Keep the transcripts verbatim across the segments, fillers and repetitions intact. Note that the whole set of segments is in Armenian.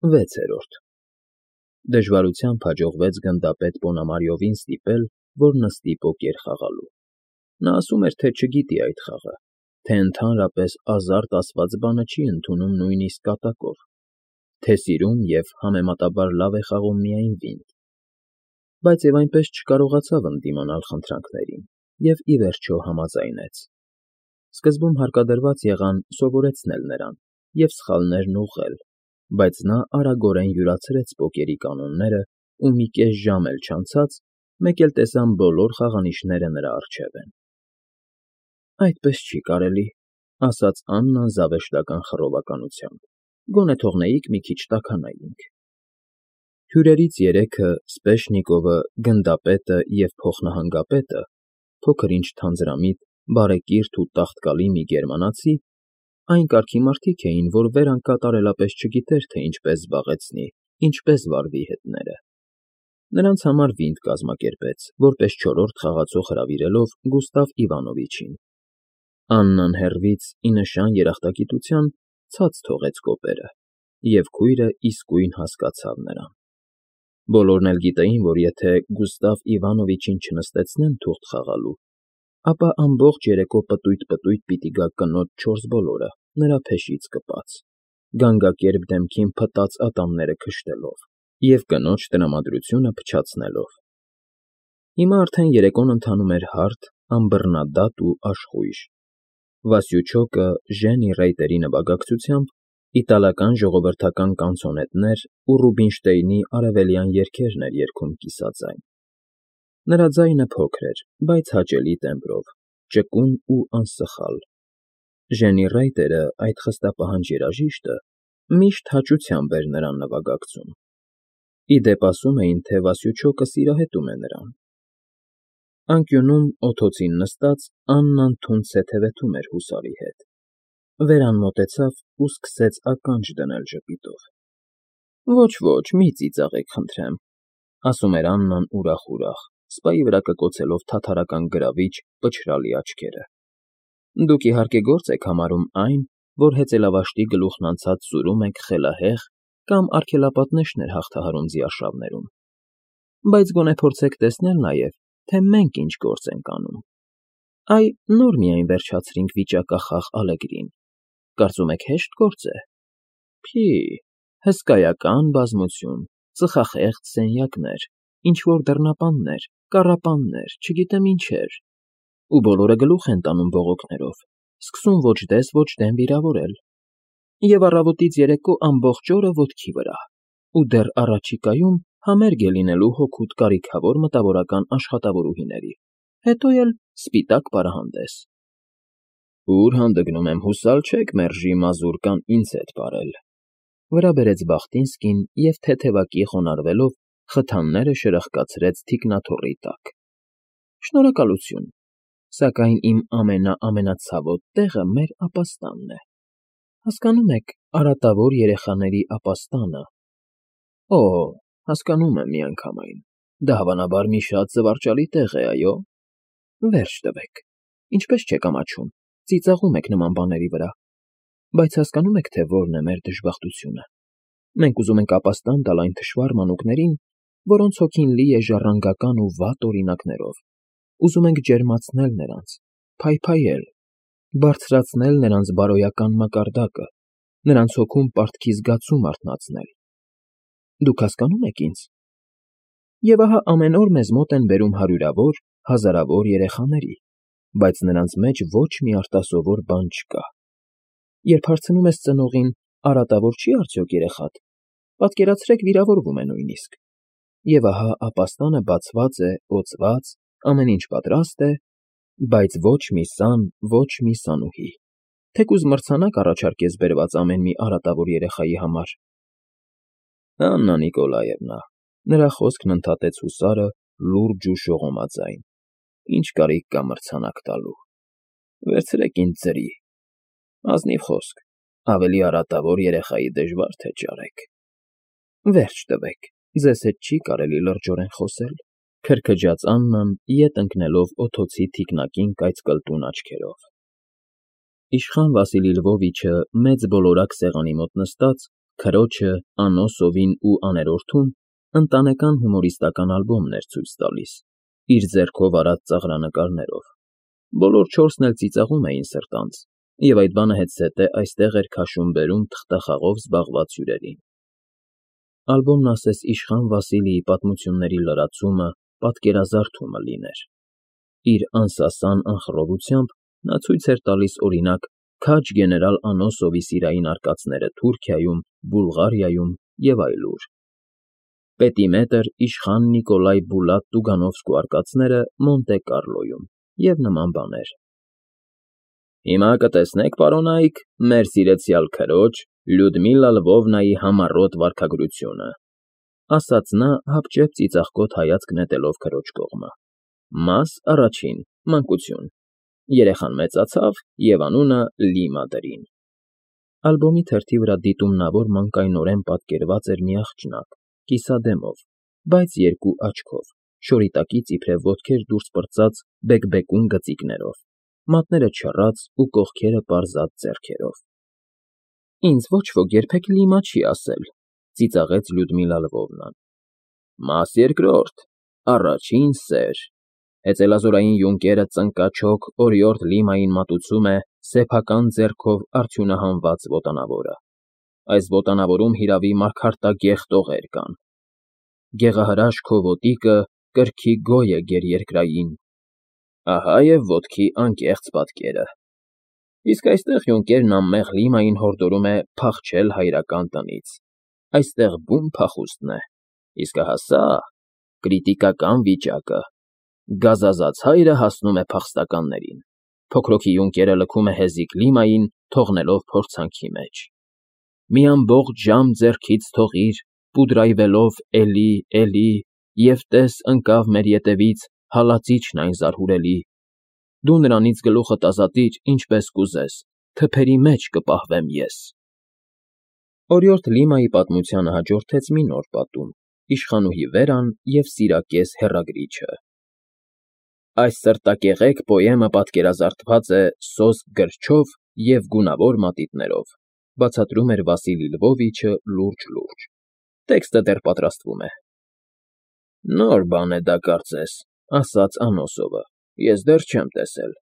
Վեցերորդ Դժվարությամբ հաջողվեց գնդապետ Պոնամարյովին ստիպել, որ նստի պոկեր խաղալու. նա ասում էր, թե չգիտի այդ խաղը, թե ընդհանրապես ազարտ ասված բանը չի ընդունում նույնիսկ կատակով, թե սիրում և համեմատաբար լավ է խաղում միայն վինդ, բայց և այնպես չկարողացավ ընդդիմանալ խնդրանքներին և ի վերջո համաձայնեց. սկզբում հարկադրված եղան սովորեցնել նրան և սխալներն ուղղել, բայց նա արագորեն յուրացրեց պոկերի կանոններն ու մի կես ժամ էլ չանցած մեկ էլ տեսան բոլոր խաղանիշները նրա առջև են։ «Այդպես չի կարելի,֊ ասաց Աննան զավեշտական խռովականությամբ,֊ գոնե թողնեիք մի քիչ տաքանայինք»։ Հյուրերից երեքը՝ Սպեշնիկովը, գնդապետը և փոխնահանգապետը, փոքր֊ինչ թանձրամիտ, բարեկիրթ ու տաղտկալի մի գերմանացի, այն կարգի մարդիկ էին, որ վերան կատարելապես չգիտեր, թե ինչպես զբաղեցնի, ինչպես վարվի հետները։ Նրանց համար վինդ կազմակերպեց, որպես չորրորդ խաղացող հրավիրելով Գուստավ Իվանովիչին։ Աննան հեռվից, ի նշան երախտագիտության, ցած թողեց կոպերը, և քույրը իսկույն հասկացավ նրան։ Բոլորն էլ գիտեին, որ եթե Գուստավ Իվանովիչին չնստեցնեն թուղթ խաղալու, ապա ամբողջ երեկո պտույտ֊պտույտ պիտի գա կնոջ չորս բոլորը, նրա փեշից կպած, գանգակերպ դեմքին փտած ատամները քշտելով և կնոջ տրամադրությունը փչացնելով։ Հիմա արդեն երեկոն ընթանում էր հարթ, ըմբռնադատ ու աշխույժ։ Վասյուչոկը Ժենի Ռեյտերի նվագակցությամբ իտալական ժողովրդական կանցոնետներ ու Ռուբինշտեյնի արևելյան երգերն էր երգում կիսաձայն։ Նրա ձայնը փոքր էր, բայց հաճելի տեմբրով, ճկուն ու անսխալ։ Ժենի Ռեյտերը, այդ խստապահանջ երաժիշտը, միշտ հաճությամբ էր նրան նվագակցում։ Ի դեպ, ասում էին, թե Վասյուչոկը սիրահետում է նրան։ Անկյունում, օթոցին նստած, Աննան թունդ սեթևեթում էր հուսարի հետ։ Վերան մոտեցավ ու սկսեց ականջ դնել ժպիտով։ «Ոչ, ոչ, մի ծիծաղեք, խնդրեմ,֊ ասում էր Աննան ուրախ֊ուրախ, սպայի վրա կկոցելով թաթարական գրավիչ, պչրալի աչքերը,֊ դուք իհարկե գործ եք համարում այն, որ հեծելավաշտի գլուխն անցած սուրում ենք խելահեղ կամ արգելապատնեշներ հաղթահարում ձիարշավներում, բայց գոնե փորձեք տեսնել նաև, թե մենք ինչ գործ ենք անում։ Այ նոր միայն վերջացրինք վիճակախաղ Ալեգրին, կարծում եք հեշտ գործ է։ Փի, հսկայական բազմություն, ծխախեղճ սենյակներ, ինչ֊որ դռնապաններ, կառապաններ, չգիտեմ ինչեր, ու բոլորը գլուխ են տանում բողոքներով, սկսում ոչ դես ոչ դեն վիրավորել։ Եվ առավոտից երեկո ամբողջ օրը ոտքի վրա, ու դեռ առաջիկայում համերգ է լինելու հօգուտ կարիքավոր մտավորական աշխատավորուհիների, հետո էլ սպիտակ պարահանդես։ Ուր հանդգնում եմ, հուսալ չեք մերժի մազուրկան ինձ հետ պարել,֊ վրա բերեց Բախտինսկին և թեթևակի խոնարհվելով խթանները շրխկացրեց թիկնաթոռի տակ։ Շնորհակալություն, սակայն իմ ամենա֊ամենացավոտ տեղը մեր ապաստանն է։ Հասկանո՞ւմ եք, արատավոր երեխաների ապաստանը։ Օ, հասկանում եմ միանգամայն, դա հավանաբար մի շատ զվարճալի տեղ է, այո։ Վերջ տվեք, ինչպես չեք ամաչում, ծիծաղում եք նման բաների վրա, բայց հասկանո՞ւմ եք, թե որն է մեր դժբախտությունը։ Մենք ուզում ենք ապաստան տալ այն թշվառ մանուկներին, որոնց հոգին լի է ժառանգական ու վատ օրինակներով, ուզում ենք ջերմացնել նրանց, փայփայել, բարձրացնել նրանց բարոյական մակարդակը, նրանց հոգում պարտքի զգացում արթնացնել։ Դուք հասկանո՞ւմ եք ինձ։ Եվ ահա ամեն օր մեզ մոտ են բերում հարյուրավոր, հազարավոր երեխաների, բայց նրանց մեջ ոչ մի արտասովոր բան չկա։ Երբ հարցնում ես ծնողին՝ արատավոր չի՞ արդյոք երեխադ, պատկերացրեք, վիրավորվում է նույնիսկ։ Եվ ահա ապաստանը բացված է, օծված, ամեն ինչ պատրաստ է, բայց ոչ մի սան, ոչ մի սանուհի, թեկուզ մրցանակ առաջարկես բերված ամեն մի արատավոր երեխայի համար։ Աննա Նիկոլաևնա,֊ նրա խոսքն ընդհատեց հուսարը լուրջ ու շողոմաձայն,֊ ինչ կարիք կա մրցանակ տալու։ Վերցրեք ինձ ձրի։ Ազնիվ խոսք, ավելի արատավոր երեխայի դժվար թե ճարեք։ Վերջ տվեք, ձեզ հետ չի կարելի լրջորեն խոսել,֊ քրքջաց Աննան, ետ ընկնելով օթոցի թիկնակին կայծկլտուն աչքերով։ Իշխան Վասիլի Լվովիչը մեծ բոլորակ սեղանի մոտ նստած Քրոջը, անոսովին ու աներորդուն ընտանեկան հումորիստական ալբոմն էր ցույց տալիս, իր ձեռքով արած ծաղրանկարներով. բոլոր չորսն էլ ծիծաղում էին սրտանց, և այդ բանը հետզհետե այստեղ էր քաշում֊բերում թղթախաղով զբաղված հյուրերին։ Ալբոմն ասես իշխան Վասիլիի պատմությունների լրացումը, պատկերազարդումը լիներ։ Իր անսասան անխռովությամբ նա ցույց էր տալիս, օրինակ, քաջ գեներալ Անոսովի սիրային արկածները Թուրքիայում, Բուլղարիայում և այլուր, Պետիմետր իշխան Նիկոլայ Բուլատ Տուգանովսկու արկածները Մոնտե Կառլոյում և նման բաներ։ Հիմա կտեսնեք, պարոնայք, մեր սիրեցյալ քրոջ Լյուդմիլա Լվովնայի համառոտ վարքագրությունը, ասաց նա հապճեպ ծիծաղկոտ հայացք նետելով քրոջ կողմը։ Մաս առաջին, մանկություն, երեխան մեծացավ և անունը Լիմա դրին։ Ալբոմի թերթի վրա դիտումնավոր մանկայնորեն պատկերված էր մի աղջնակ, կիսադեմով, բայց երկու աչքով, շորիտակից իբրև ոտքեր դուրս պրծած բեկբեկուն գծիկներով, մատները չռած ու կողքերը պարզած ձեռքերով։ Ինձ ոչ ոք երբեք Լիմա չի ասել, ծիծաղեց Լյուդմիլա Լվովնան։ Մաս երկրորդ, առաջին սեր, հեծելազորային յունկերը ծնկաչոք օրիորդ Լիմային մատուցում է սեփական ձեռքով արդյունահանված ոտանավորը։ Այս ոտանավորում հիրավի մարգարտագեղ տողեր կան։ Գեղահրաշ քո ոտիկը կրքի գոյ է գերերկրային, ահա և ոտքի անկեղծ պատկերը։ Իսկ այստեղ յունկերն անմեղ Լիմային հորդորում է փախչել հայրական տնից։ Այստեղ բուն փախուստն է, իսկ ահա սա կրիտիկական վիճակը։ Գազազած հայրը հասնում է փախստականներին։ Փոքրոքի յունկերը լքում է հեզիկ Լիմային, թողնելով փորձանքի մեջ։ Մի ամբողջ ժամ ձեռքից թողիր, պուդրայվելով էլի, էլի, և տես ընկավ մեր ետևից հալածիչն այն զարհուրելի։ Դու նրանից գլուխդ ազատիր, ինչպես կուզես, թփերի մեջ կպահվեմ ես։ Օրիորդ Լիմայի պատմությանը հաջորդեց մի նոր պատում՝ Իշխանուհի Վերան և Սիրակես հեռագրիչը։ Այս սրտակեղեկ պոեմը պատկերազարդված է սոսկ գրչով և գունավոր մատիտներով, բացատրում էր Վասիլի Լվովիչը լուրջ֊լուրջ։ Տեքստը դեռ պատրաստվում է։ Նոր բան է դա, կարծես, ասաց Անոսովը, ես դեռ չեմ տեսել։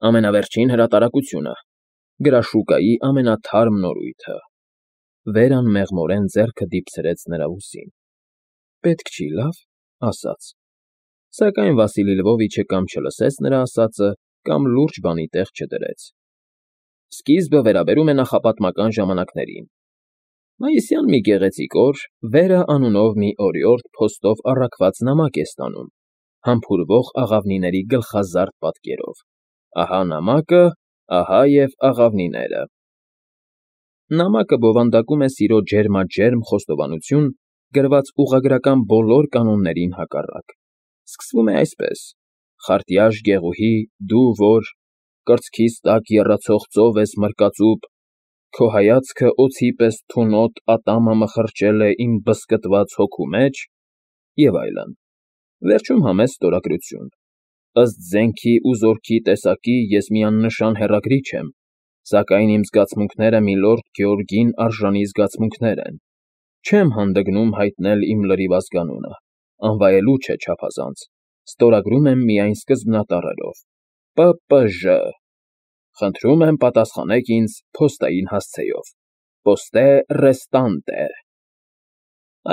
Ամենավերջին հրատարակությունը, գրաշուկայի ամենաթարմ նորույթը։ Վերան մեղմորեն ձեռքը դիպցրեց նրա ուսին։ Պետք չի, լավ, ասաց։ Սակայն Վասիլի Լվովիչը կամ չլսեց նրա ասածը, կամ լուրջ բանի տեղ չդրեց։ Սկիզբը վերաբերում է նախապատմական ժամանակներին։ Մայիսյան մի գեղեցիկ օր Վերա անունով մի օրիորդ փոստով առաքված նամակ է ստանում, համբուրվող աղավնիների գլխազարդ պատկերով։ Ահա նամակը, ահա և աղավնիները։ Նամակը բովանդակում է սիրո ջերմաջերմ խոստովանություն, գրված ուղղագրական բոլոր կանոններին հակառակ։ Սկսվում է այսպես. Խարտյաշ գեղուհի, դու որ կրծքիս տակ եռացող ծով ես մրկածուպ, քո հայացքը օձի պես թունոտ ատամը մխրճել է իմ բզկտված հոգու մեջ, և այլն։ Վերջում համեստ ստորագրություն։ Ըստ զենքի ու զորքի տեսակի ես մի աննշան հեռագրիչ եմ, սակայն իմ զգացմունքները միլորդ Գեորգին արժանի զգացմունքներ են։ Չեմ հանդգնում հայտնել իմ լրիվ ազգանունը, անվայելուչ է չափազանց, ստորագրում եմ միայն սկզբնատառերով։ Պ Պ Ժ Խնդրում եմ պատասխանեք ինձ փոստային հասցեով։ Պոստե ռեստանտե։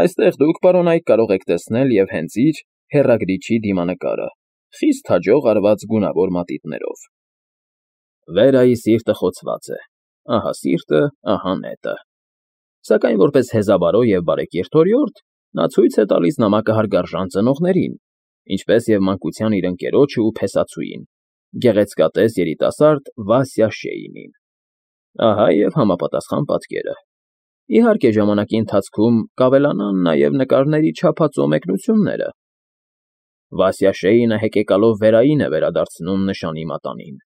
Այստեղ դուք, պարոնայք, կարող եք տեսնել և հենց իր հեռագրիչի դիմանկարը, խիստ հաջող արված գունավոր մատիտներով։ Վերայի սիրտը խոցված է, ահա սիրտը, ահա նետը։ Սակայն որպես հեզաբարո և բարեկիրթ օրիորդ, նա ցույց է տալիս նամակը հարգարժան ծնողներին, ինչպես և մանկության իր ընկերոջը ու փեսացուին, գեղեցկատես երիտասարդ Վասյա Շեյնին։ Ահա և համապատասխան պատկերը։ Իհարկե, ժամանակի ընթացքում կավելանան նաև նկարների չափածո մեկնությունները։ Վասյա Շեյնը հեկեկալով Վերային է վերադարձնում նշանի մատանին։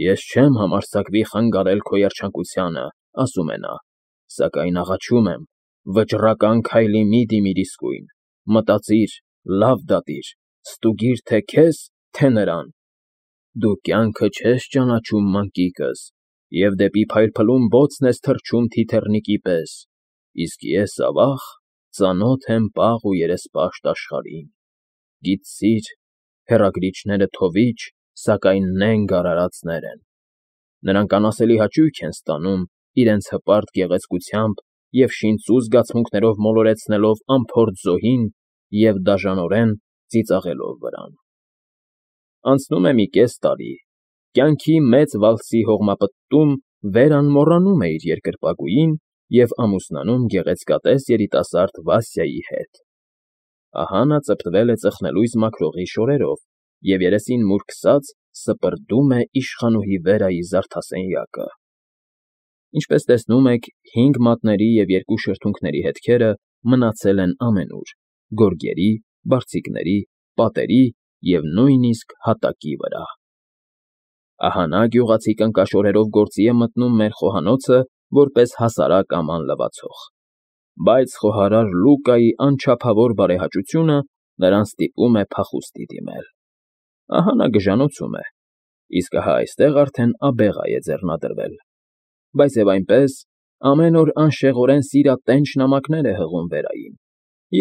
Ես չեմ համարձակվի խանգարել քո երջանկությանը, ասում է նա, սակայն աղաչում եմ, վճռական քայլի մի դիմիր իսկույն, մտածիր, լավ դատիր, ստուգիր թե քեզ, թե նրան։ Դու կյանքը չես ճանաչում, մանկիկս, և դեպի փայլփլուն բոցն ես թռչում թիթեռնիկի պես, Իսկ ես, ավաղ, ծանոթ եմ պաղ ու երեսպաշտ աշխարհին, գիտցիր, հեռագրիչները թովիչ, սակայն նենգ արարածներ են, նրանք անասելի հաճույք են ստանում իրենց հպարտ գեղեցկությամբ և շինծու զգացմունքներով մոլորեցնելով անփորձ զոհին և դաժանորեն ծիծաղելով վրան։ Անցնում է մի կես տարի, կյանքի մեծ վալսի հողմապտտում Վերան մոռանում է իր երկրպագուին և ամուսնանում գեղեցկատես երիտասարդ Վասյայի հետ։ Ահա նա ծպտվել է ծխնելույս մաքրողի շորերով և երեսին մուր քսած սպրդում է իշխանուհի Վերայի զարդասենյակը։ Ինչպես տեսնում եք, հինգ մատների և երկու շրթունքների հետքերը մնացել են ամենուր՝ գորգերի, բարձիկների, պատերի և նույնիսկ հատակի վրա։ Ահա նա գյուղացի կնկաշորերով գործի է մտնում մեր խոհանոցը որպես հասարակ աման լվացող, բայց խոհարար Լուկայի անչափավոր բարեհաճությունը նրան ստիպում է փախուստի դիմել։ Ահա նա գժանոցում է, իսկ ահա այստեղ արդեն աբեղա է ձեռնադրվել, բայց և այնպես ամեն օր անշեղորեն սիրատենչ նամակներ է հղում Վերային,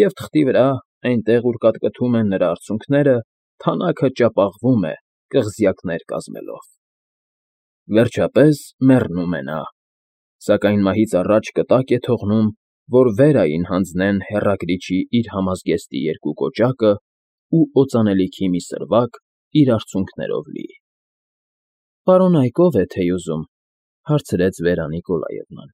և թղթի վրա, այնտեղ, ուր կատկթում են նրա արցունքները, թանաքը ճապաղվում է կղզյակներ կազմելով։ Վերջապես մեռնում է նա, սակայն մահից առաջ կտակ է թողնում, որ Վերային հանձնեն հեռագրիչի իր համազգեստի երկու կոճակն ու օծանելիքի մի սրվակ իր արցունքներով լի։ ֊ Պարոն Այկով է թեյ ուզում,֊ հարցրեց Վերա Նիկոլաևնան։